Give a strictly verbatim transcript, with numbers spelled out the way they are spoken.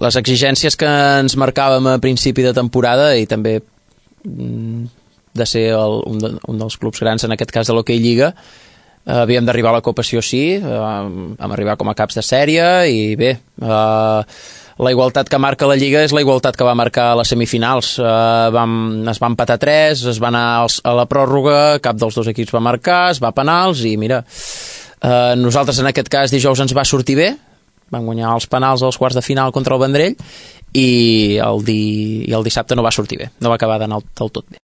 les exigències que ens marcàvem a principi de temporada i també de ser el, un, de, un dels clubs grans, en aquest cas de l'Hockey Lliga, eh, havíem d'arribar a la Copa sí o sí, eh, vam arribar com a caps de sèrie i bé, eh, la igualtat que marca la Lliga és la igualtat que va marcar a les semifinals. Eh, vam, es va empatar tres, es va anar als, a la pròrroga, cap dels dos equips va marcar, es va a penals i mira, eh, nosaltres en aquest cas dijous ens va sortir bé, vam guanyar els penals als quarts de final contra el Vendrell i el, di, i el dissabte no va sortir bé, no va acabar d'anar del tot bé.